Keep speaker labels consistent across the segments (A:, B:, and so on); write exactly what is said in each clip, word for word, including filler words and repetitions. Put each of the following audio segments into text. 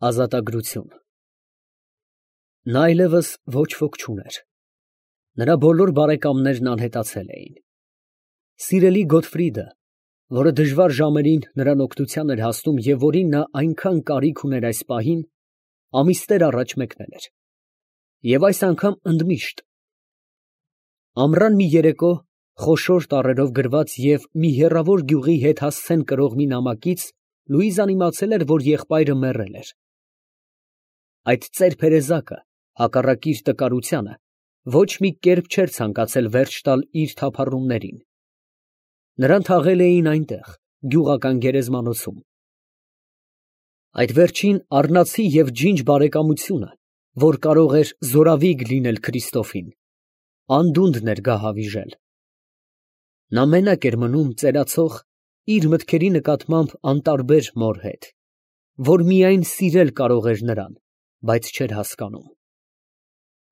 A: Ազատագրություն։ Նա այլևս ոչ ոք չուներ. նրա բոլոր բարեկամներն անհետացել էին։ Սիրելի Գոթֆրիդը, որը դժվար ժամերին նրան օգնության էր հասնում և որին նա այնքան կարիք ուներ այս պահին, ամիսներ առաջ մեկնել էր, և այս անգամ ընդմիշտ։ Ամռան մի երեկո, խոշոր տառերով գրված և մի հեռավոր գյուղի հետ հասցեն կրող մի նամակից Լուիզան իմացել էր, որ եղբայրը մեռել էր։ Այդ ծեր փերեզակը, հակառակ իր տկարությանը, ոչ մի կերպ չէր ցանկացել վերջ տալ իր թափառումներին. նրան թաղել էին այնտեղ, գյուղական գերեզմանոցում։ Այդ վերջին առնացի և ջինջ բարեկամությունը, որ կարող էր զորավիգ լինել Քրիստոֆին, անդունդն էր գահավիժել։ Նա մենակ էր մնում ծերացող, իր մտքերի նկատմամբ անտարբեր մոր հետ, որ միայն սիրել կարող էր նրան, բայց չէր հասկանում։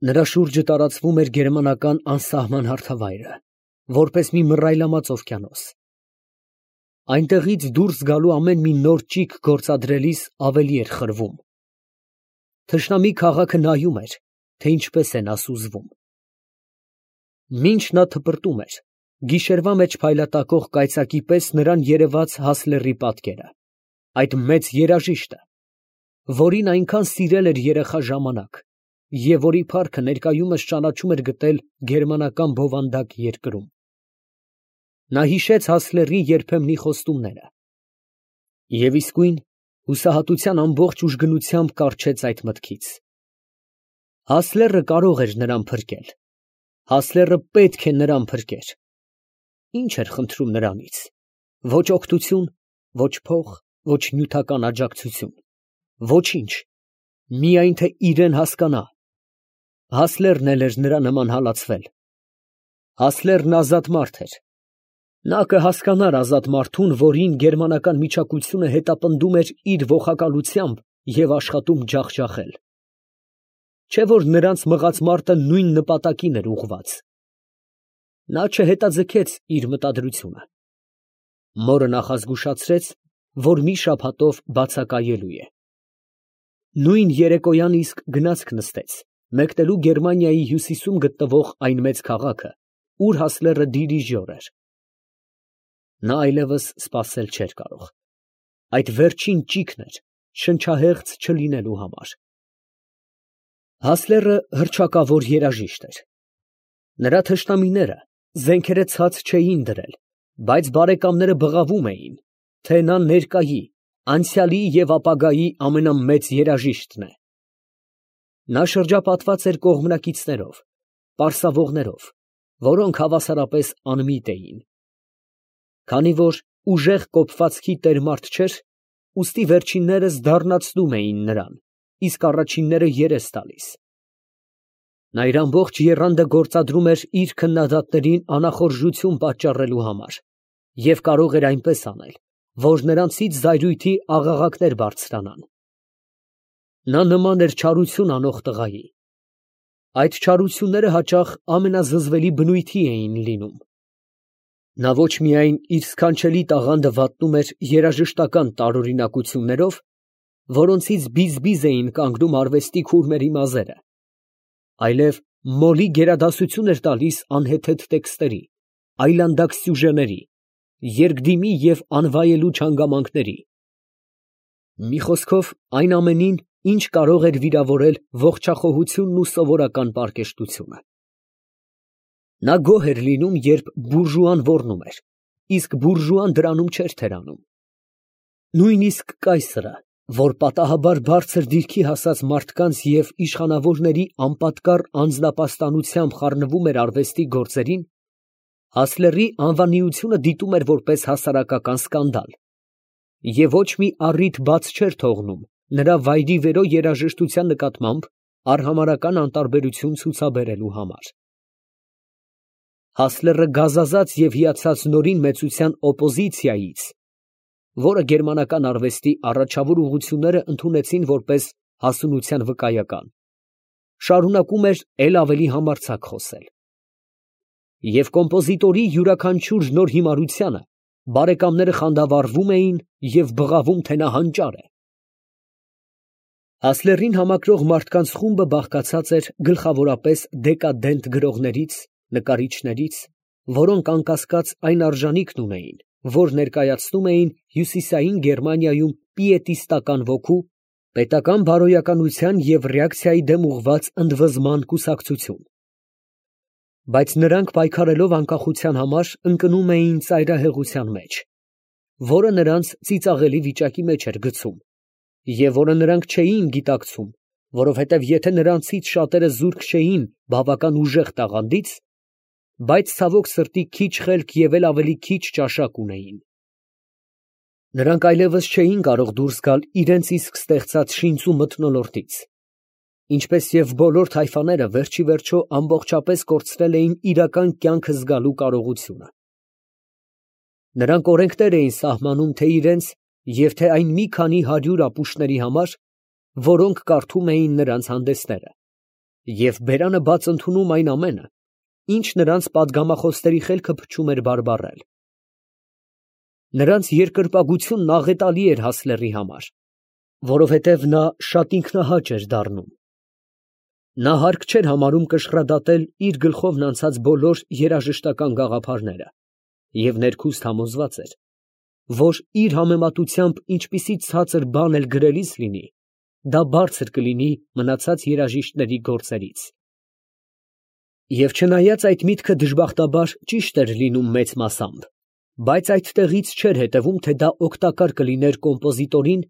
A: Նրա շուրջը տարածվում էր գերմանական անսահման հարթավայրը, որպես մի մռայլամած օվկիանոս։ Այնտեղից դուրս գալու ամեն մի նոր ճիգ գործադրելիս ավելի էր խրվում։ Թշնամի քաղաքը նայում էր, թե ինչպես է նա սուզվում։ Մինչ նա թպրտում էր, գիշերվա մեջ փայլատակող կայծակի պես նրան երևաց Հասլերի պատկերը, այդ մեծ երաժիշտը, որին այնքան սիրել էր երեխա ժամանակ, և որի փառքը ներկայումս ճանաչում էր գտել գերմանական բովանդակ երկրում։ Նա հիշեց Հասլերի երբեմնի խոստումները և իսկույն հուսահատության ամբողջ ուժգնությամբ կառչեց այդ մտքից։ Հասլերը կարող էր նրան փրկել, Հասլերը պետք է նրան փրկեր։ Ի՞նչ էր խնդրում նրանից. ոչ օգնություն, ոչ փող, ոչ նյութական աջակցություն, ոչինչ, միայն թե իրեն հասկանա։ Հասլերն էլ էր նրա նման հալածվել։ Հասլերն ազատ մարդ էր։ Նա կհասկանար ազատ մարդուն, որին գերմանական միջակությունը հետապնդում էր իր ոխակալությամբ և աշխատում ջախջախել։ Չէ՞ որ նրանց մղած մարտը նույն նպատակին էր ուղղված։ Նա չհետաձգեց իր մտադրությունը։ Մորը նախազգուշացրեց, որ մի շաբաթով բացակայելու է։ Նույն երեկոյան իսկ գնացք նստեց, մեկնելու Գերմանիայի հյուսիսում գտնվող այն մեծ քաղաքը, ուր Հասլերը դիրիժոր էր։ Նա այլևս սպասել չէր կարող։ Այդ վերջին ճիգն էր շնչահեղձ չլինելու համար։ Հասլերը հռչակավոր երաժիշտ էր։ Նրա թշնամիները զենքերը ցած չէին դրել, բայց բարեկամները բղավում էին, թե նա ներկայի, անցյալի և ապագայի ամենամեծ երաժիշտն է։ Նա շրջապատված էր կողմնակիցներով, պարսավողներով, որոնք հավասարապես անմիտ էին։ Քանի որ ուժեղ կոփվածքի տեր մարդ չէր, ուստի վերջիններս դառնացնում էին նրան, իսկ առաջինները երես տալիս։ Նա իր ամբողջ եռանդը գործադրում էր իր քննադատներին անախորժություն պատճառելու համար և կարող էր այնպես անել, որ նրանցից զայրույթի աղաղակներ բարձրանան։ Նա նման էր չարություն անող տղայի։ Այդ չարությունները հաճախ ամենազզվելի բնույթի էին լինում։ Նա ոչ միայն իր սքանչելի տաղանդը վատնում էր երաժշտական տարօրինակություններով, որոնցից բիզ֊բիզ էին կանգնում արվեստի քուրմերի մազերը, այլև մոլի գերադասություն էր տալիս անհեթեթ տեքստերի, այլանդակ սյուժեների, երկդիմի և անվայելուչ հանգամանքների։ Մի խոսքով, այն ամենին, ինչ կարող էր վիրավորել ողջախոհությունն ու սովորական պարկեշտությունը։ Նա գոհ էր լինում, երբ բուրժուան ոռնում էր, իսկ բուրժուան դրանում չէր թերանում։ Նույնիսկ կայսրը, որ պատահաբար բարձր դիրքի հասած մարդկանց և իշխանավորների անպատկառ անձնապաստանությամբ խառնվում էր արվեստի գործերին, Հասլերի անվանիությունը դիտում էր որպես հասարակական սկանդալ և ոչ մի առիթ բաց չէր թողնում նրա վայրիվերո երաժշտության նկատմամբ արհամարհական անտարբերություն ցուցաբերելու համար։ Հասլերը գազազած և հիացած նորին մեծության օպոզիցիայից, որը գերմանական արվեստի առաջավոր ուղղությունները ընդունեցին որպես հասունության վկայական, շարունակում էր էլ ավելի համարձակ խոսել։ Եվ կոմպոզիտորի յուրաքանչյուր նոր հիմարությանը բարեկամները խանդավառվում էին և բղավում, թե նա հանճար է։ Հասլերին համակրող մարդկանց խումբը բաղկացած էր գլխավորապես դեկադենտ գրողներից, նկարիչներից, որոնք անկասկած այն արժանիքն ունեին, որ ներկայացնում էին հյուսիսային Գերմանիայում պիետիստական ոգու, պետական բարոյականության և ռեակցիայի դեմ ուղղված ընդվզման կուսակցություն. բայց նրանք պայքարելով անկախության համար ընկնում էին ծայրահեղության մեջ, որը նրանց ծիծաղելի վիճակի մեջ էր գցում, և որը նրանք չէին գիտակցում, որովհետև եթե նրանցից շատերը զուրկ չէին բավական ուժեղ տաղանդից, բայց ցավոք սրտի քիչ խելք և էլ ավելի քիչ ճաշակ ունեին. նրանք այլևս չէին կարող դուրս գալ իրենց իսկ ստեղծած շինծու մթնոլորտից, ինչպես և բոլոր թայֆաները վերջիվերջո ամբողջապես կորցրել էին իրական կյանքը զգալու կարողությունը. նրանք օրենքներ էին սահմանում թե իրենց և թե այն մի քանի հարյուր ապուշների համար, որոնք կարդում էին նրանց հանդեսները, և բերանը բաց ընդունում այն ամենը, ինչ նրանց պատգամախոսների խելքը փչում էր բարբառել. նրանց երկրպագությունն աղետալի էր Հասլերի համար, որովհետև նա շատ ինքնահաճ էր դառնում. նա հարկ չէր համարում կշռադատել իր գլխովն անցած բոլոր երաժշտական գաղափարները և ներքուստ համոզված էր, որ իր համեմատությամբ ինչպիսի ցածր բան էլ գրելիս լինի, դա բարձր կլինի մնացած երաժիշտների գործերից. և չնայած այդ միտքը դժբախտաբար ճիշտ էր լինում մեծ մասամբ, բայց այդտեղից չէր հետևում, թե դա օգտակար կլիներ կոմպոզիտորին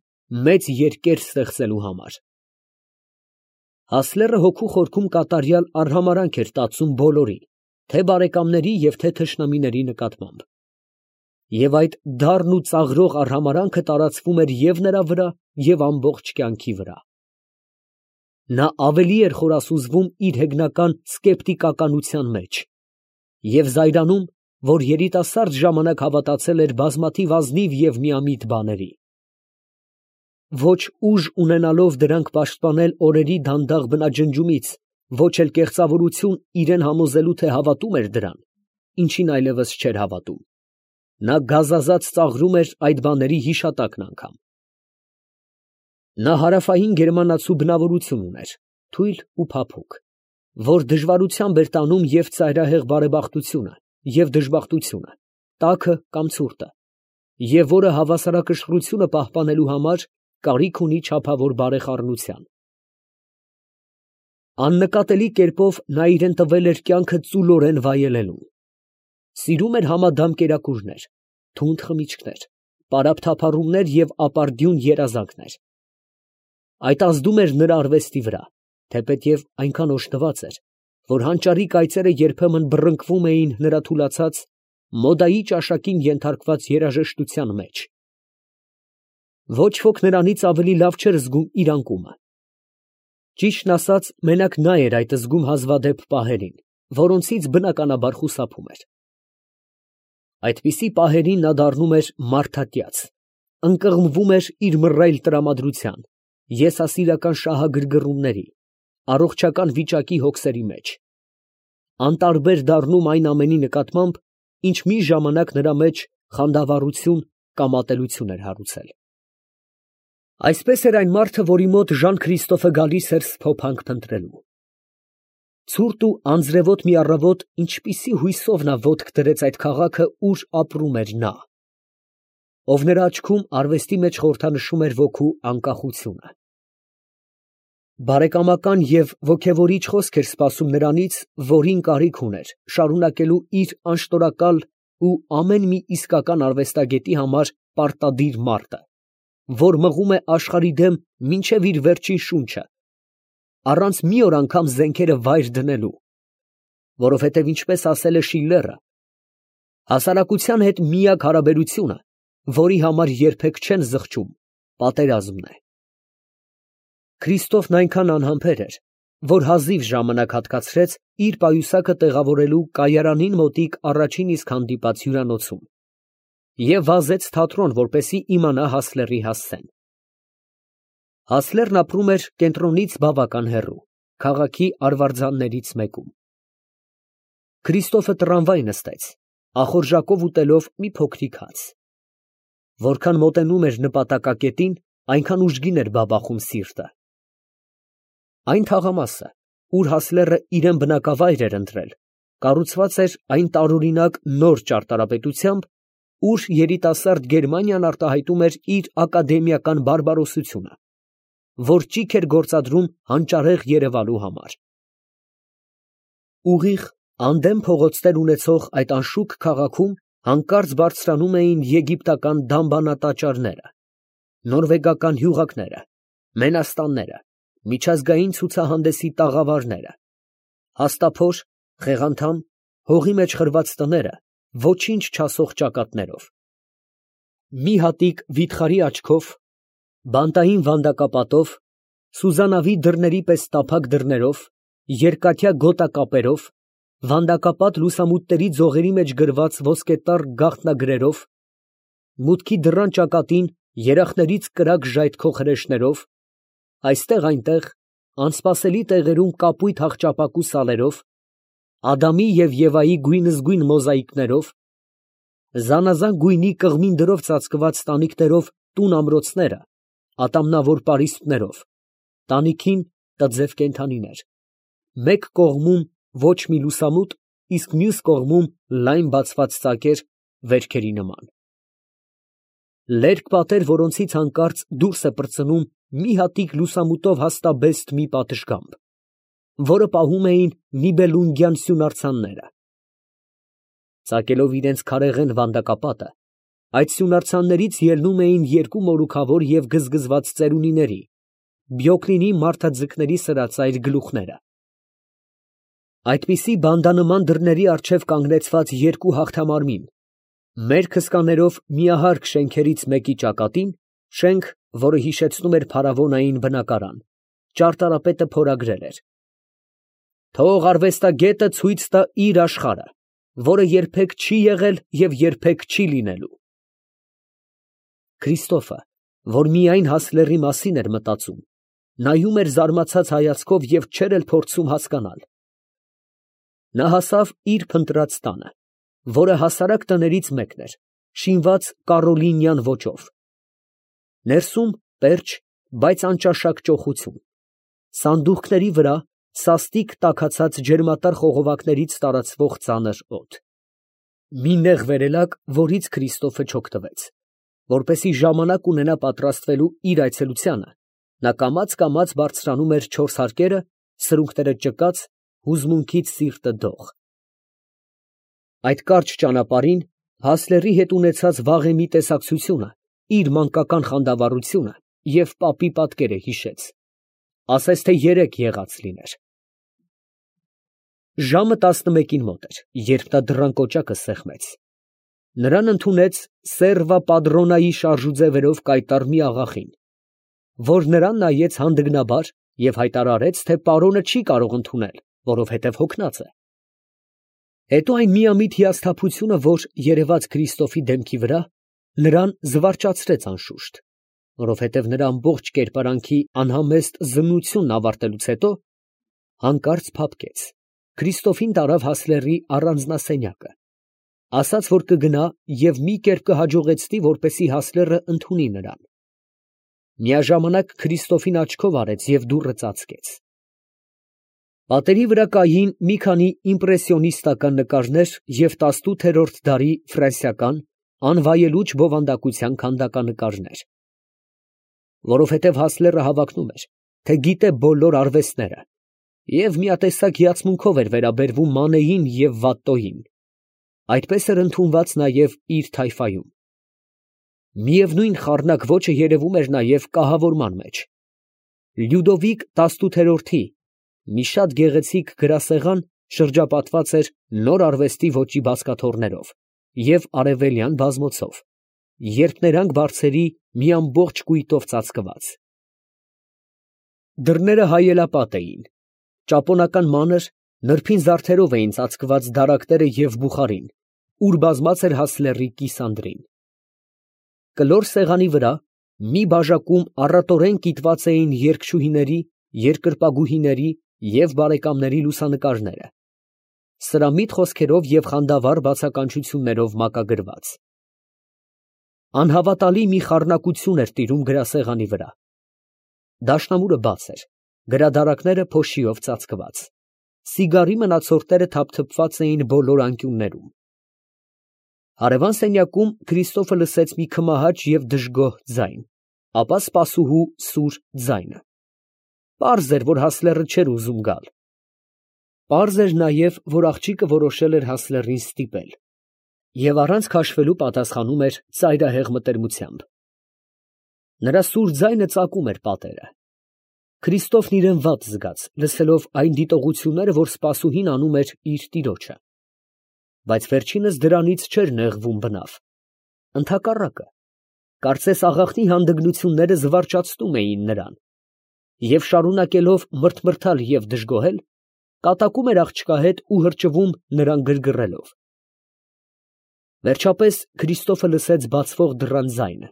A: մեծ երկեր ստեղծելու համար. Հասլերը հոգու խորքում կատարյալ արհամարհանք էր տածում բոլորի, թե բարեկամների և թե թշնամիների նկատմամբ, և այդ դառն ու ծաղրող արհամարհանքը տարածվում էր և նրա վրա և ամբողջ կյանքի վրա. նա ավելի էր խորասուզվում իր հեգնական սկեպտիկականության մեջ և զայրանում, որ երիտասարդ ժամանակ հավատացել էր բազմաթիվ ազնիվ և միամիտ բաների. ոչ ուժ ունենալով դրանք պաշտպանել օրերի դանդաղ բնաջնջումից, ոչ էլ կեղծավորություն իրան համոզելու, թե հավատում էր դրան, ինչին այլևս չէր հավատում, նա գազազած ծաղրում էր այդ բաների հիշատակն անգամ. նա հարավային գերմանացու բնավորություն ուներ, թույլ ու փափուկ, որ դժվարությամբ էր տանում և ծայրահեղ բարեբախտությունը, և դժբախտությունը, տաքը կամ ցուրտը, և որը հավասարակշռությունը պահպանելու համար կարիք ունի չափավոր բարեխառնության. աննկատելի կերպով նա իրան տվել էր կյանքը ծուլորեն վայելելուն. սիրում էր համադամ կերակուրներ, թունդ խմիչքներ, պարապ թափառումներ և ապարդյուն երազանքներ. այդ ազդում էր նրա արվեստի վրա, թեպետև այնքան օժտված էր, որ հանճարի կայծերը երբեմն բռնկվում էին նրա թուլացած, մոդայի ճաշակին ենթարկված երաժշտության մեջ. ոչ ոք նրանից ավելի լավ չէր զգում իր անկումը. ճիշտն ասած, մենակ նա էր այդ զգում հազվադեպ պահերին, որոնցից բնականաբար խուսափում էր. այդպիսի պահերին նա դառնում էր մարդատյաց, ընկղմվում էր իր մռայլ տրամադրության, եսասիրական շահագրգռումների, առողջական վիճակի հոգսերի մեջ, անտարբեր դառնում այն ամենի նկատմամբ, ինչ մի ժամանակ նրա մեջ խանդավառություն կամ ատելություն էր հարուցել. այսպես էր այն մարդը, որի մոտ Ժան Քրիստոֆը գալիս էր սփոփանք փնտրելու. ցուրտ ու անձրևոտ մի առավոտ ինչպիսի հույսով նա ոտք դրեց այդ քաղաքը, ուր ապրում էր նա, ով նրա աչքում արվեստի մեջ խորհրդանշում էր ոգու անկախությունը. բարեկամական և ոգևորիչ խոսք էր սպասում նրանից, որին կարիք ուներ շարունակելու իր անշտորակալ ու ամեն մի իսկական արվեստագետի համար պարտադիր մարտը, որ մղում է աշխարհի դեմ մինչև իր վերջին շունչը, առանց մի օր անգամ զենքերը վայր դնելու, որովհետև ինչպես ասել է Շիլլերը, հասարակության հետ միակ հարաբերությունը, որի համար երբեք չեն զղջում, պատերազմն է. Քրիստոֆն այնքան անհամբեր էր, որ հազիվ ժամանակ հատկացրեց իր պայուսակը տեղավորելու կայարանին մոտիկ առաջին իսկ հանդիպած հյուրանոցում և վազեց թատրոն, որպեսզի իմանա Հասլերի հասցեն. Հասլերն ապրում էր կենտրոնից բավական հեռու, քաղաքի արվարձաններից մեկում. Քրիստոֆը տրամվայ նստեց, ախորժակով ուտելով մի փոքրիկ հաց. որքան մոտենում էր նպատակակետին, այնքան ուժգին էր բաբախում սիրտը, Այն թաղամասը, ուր Հասլերը իրան բնակավայր էր ընտրել, կառուցված էր այն տարօրինակ նոր ճարտարապետությամբ, ուր երիտասարդ Գերմանիան արտահայտում էր իր ակադեմիական բարբարոսությունը, որ ճիգ էր գործադրում հանճարեղ երևալու համար։ Ուղիղ անդեմ փողոցներ ունեցող այդ անշուք քաղաքում հանկարծ բարձրանում էին եգիպտական դամբանատաճարները, նորվեգական հյուղակները, մենաստանները, միջազգային ցուցահանդեսի տաղավարները, հաստափոր, խեղանդամ, հողի մեջ խրված տները, ոչինչ չասող ճակատներով, մի հատիկ վիթխարի աչքով, բանտային վանդակապատով, սուզանավի դռների պես տափակ դռներով, երկաթյա գոտակապերով, վանդակապատ լուսամուտների ձողերի մեջ գրված ոսկետառ գաղտնագրերով, մուտքի դռան ճակատին երախներից կրակ ժայթքող հրեշներով, այստեղ այնտեղ անսպասելի տեղերում կապույտ հախճապակու սալերով, Ադամի և Եվայի գույնզգույն մոզաիկներով, զանազան գույնի կղմին դրով ծածկված տանիքներով տուն ամրոցները, ատամնավոր պարիսպներով, տանիքին տձև կենդանիներ, մեկ կողմում ոչ մի լուսամուտ, իսկ մյուս կողմում լայն բացված ծակեր վերքերի նման, լերկ պատեր, որոնցից հանկարծ դուրս է պրծնում մի հատիկ լուսամուտով հաստաբեստ մի պատշգամբ, որը պահում էին նիբելունգյան սյունարցանները։ Ծակելով իրենց քարեղեն վանդակապատը, այդ սյունարցաններից ելնում էին երկու մորուքավոր և գզգզված ծերունիների, Բյոկլինի մարդաձկների սրածայր գլուխները։ Այդպիսի բանդանման դռների առջև կանգնեցված երկու հաղթամարմին, մերկ հսկաներով միահարկ շենքերից մեկի ճակատին, շենք, որը հիշեցնում էր փարավոնային բնակարան, ճարտարապետը փորագրել էր. «Թող արվեստագետը ցույց տա իր աշխարհը, որը երբեք չի եղել և երբեք չի լինելու»։ Քրիստոֆը, որ միայն Հասլերի մասին էր մտածում, նայում էր զարմացած հայացքով և չէր էլ փորձում հասկանալ։ Նա հասավ իր փնտրած տանը, որը հասարակ տներից մեկն էր, շինված կարոլինյան ոճով։ Ներսում պերճ, բայց անճաշակ ճոխություն, սանդուղքների վրա սաստիկ տաքացած ջերմատար խողովակներից տարածվող ծանր օդ, մի նեղ վերելակ, որից Քրիստոֆը չօգտվեց, որպեսզի ժամանակ ունենա պատրաստվելու իր այցելությանը, նա կամաց֊կամաց բարձրանում էր չորս հարկերը, սրունքները ճկած, հուզմունքից սիրտը դող։ Այդ կարճ ճանապարհին Հասլերի հետ ունեցած վաղեմի տեսակցությունը, իր մանկական խանդավառությունը և պապի պատկերը հիշեց, ասես թե երեկ եղած լիներ։ Ժամը տասնմեկին մոտ էր, երբ նա դռան կոճակը սեղմեց։ Նրան ընդունեց սերվա պադրոնայի շարժուձևերով կայտառ մի աղախին, որ նրան նայեց հանդգնաբար և հայտարարեց, թե պարոնը չի կարող ընդունել, որովհետև հոգնած է։ Հետո այն միամիտ հիասթափությունը, որ երևաց Քրիստոֆի դեմքի վրա, նրան զվարճացրեց անշուշտ, որովհետև նրա ամբողջ կերպարանքի անհամեստ զննությունն ավարտելուց հետո, հանկարծ փափկեց, Քրիստոֆին տարավ Հասլերի առանձնասենյակը, ասաց, որ կգնա և մի կերպ կհաջողեցնի, որպեսզի Հասլերը ընդունի նրան։ Միաժամանակ Քրիստոֆին աչքով արեց և դուռը ծածկեց։ Պատերի վրա կային մի քանի իմպրեսիոնիստական նկարներ և տասնութերորդ դարի ֆրանսիական անվայելուչ բովանդակության քանդականկարներ, որովհետև Հասլերը հավակնում էր, թե գիտե բոլոր արվեստները և միատեսակ հիացմունքով էր վերաբերվում Մանեին և Վատտոյին, այդպես էր ընդունված նաև իր թայֆայում։ Միևնույն խառնակ ոճը երևում էր նաև կահավորման մեջ։ Լյուդովիկ տասնութերորդի մի շատ գեղեցիկ գրասեղան շրջապատված էր նոր արվեստի ոճի բազկաթոռներով և արևելյան բազմոցով, երփներանգ բարձերի մի ամբողջ կույտով ծածկված։ Դռները հայելապատ էին, ճապոնական մանր, նրբին զարդերով էին ծածկված դարակները և բուխարին, ուր բազմած էր Հասլերի կիսանդրին։ Կլոր սեղանի վրա մի բաժակում առատորեն կիտված էին երգչուհիների, երկրպագուհիների և բարեկամների լուսանկարները, սրամիտ խոսքերով և խանդավառ բացականչություններով մակագրված։ Անհավատալի մի խառնակություն էր տիրում գրասեղանի վրա։ Դաշնամուրը բաց էր, գրադարանները փոշիով ծածկված, սիգարի մնացորդները թափթփված էին բոլոր անկյուններում։ Հարևան սենյակում Քրիստոֆը լսեց մի քմահաճ և դժգոհ ձայն, ապա սպասուհու սուր ձայնը։ Պարզ էր, որ Հասլերը չէր ուզում գալ։ Պարզ էր նաև, որ աղջիկը որոշել էր Հասլերին ստիպել և առանց քաշվելու պատասխանում էր ծայրահեղ մտերմությամբ։ Նրա սուր ձայնը ծակում էր պատերը։ Քրիստոֆն իրան վատ զգաց, լսելով այն դիտողությունները, որ սպասուհին անում էր իր տիրոջը։ Բայց վերջինս դրանից չէր նեղվում բնավ։ Ընդհակառակը, կարծես աղախնի հանդգնությունները զվարճացնում էին նրան, և շարունակելով մրթմրթալ և դժգոհել, կատակում էր աղջկա հետ ու հրճվում նրան գրգռելով։ Վերջապես Քրիստոֆը լսեց բացվող դռան ձայնը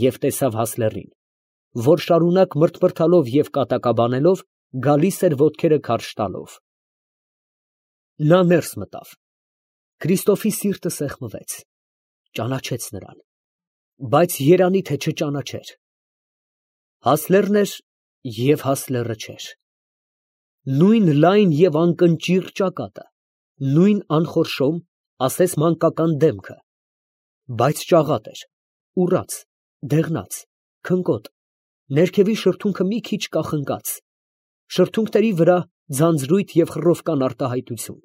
A: և տեսավ Հասլերին, որ շարունակ մրթմրթալով և կատակաբանելով գալիս էր ոտքերը քարշ տալով։ Նա ներս մտավ։ Քրիստոֆի սիրտը սեղմվեց, ճանաչեց նրան, բայց երանի թե չճանաչեր։ Հասլերն էր և Հասլերը չէր։ Նույն լայն և անկնճիռ ճակատը, նույն անխորշոմ, ասես մանկական դեմքը, բայց ճաղատ էր, ուռած, դեղնած, քնկոտ, ներքևի շրթունքը մի քիչ կախնկած, շրթունքների վրա ձանձրույթ և խռովկան արտահայտություն։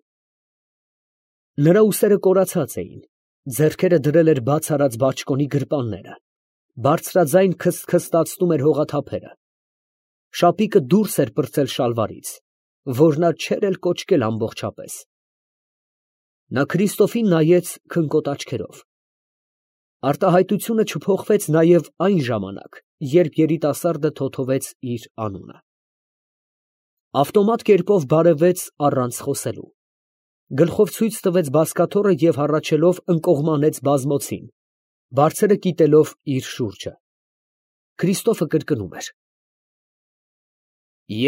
A: Նրա ուսերը կորացած էին, ձեռքերը դրել էր բաց արած բաճկոնի գրպանները, բարձրաձայն քստքստացնում էր հողաթափերը, շապիկը դուրս էր պրծել շալվարից, որ նա չէր էլ կոճկել ամբողջապես։ Նա Քրիստոֆին նայեց քնկոտ աչքերով։ Արտահայտությունը չփոխվեց նաև այն ժամանակ, երբ երիտասարդը թոթվեց իր անունը։ Ավտոմատ կերպով բարևեց առանց խոսելու, գլխով ցույց տվեց բազկաթոռը և հառաչելով ընկողմանեց բազմոցին, բարձրը կիտելով իր շուրջը։ Քրիստոֆը կրկնում էր.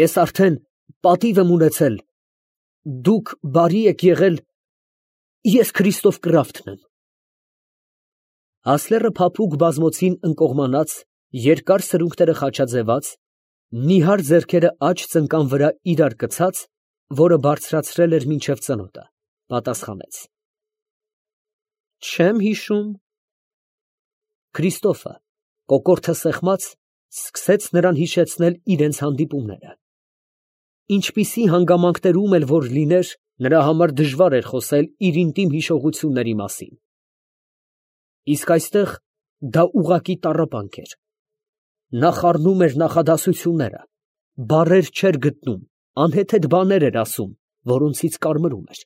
A: Ես արդեն պատիվ եմ ունեցել, դուք բարի եք եղել, ես Քրիստոֆ Կրաֆթն եմ։ Հասլերը փափուկ բազմոցին ընկողմանած, երկար սրունքները խաչաձևած, նիհար ձեռքերը աջ ծնկան վրա իրար կցած, որը բարձրացրել էր մինչև ծնոտը, պատասխանեց. Չեմ հիշում։ Քրիստոֆը, կոկորդը սեղմած, սկսեց նրան հիշեցնել իրենց հանդիպումները։ Ինչպիսի հանգամանքներում էլ որ լիներ, նրա համար դժվար էր խոսել իր ինտիմ հիշողությունների մասին։ Իսկ այստեղ դա ուղղակի տառապանք էր։ Նա խառնում էր նախադասությունները, բառեր չէր գտնում, անհեթեթ բաներ էր ասում, որոնցից կարմրում էր։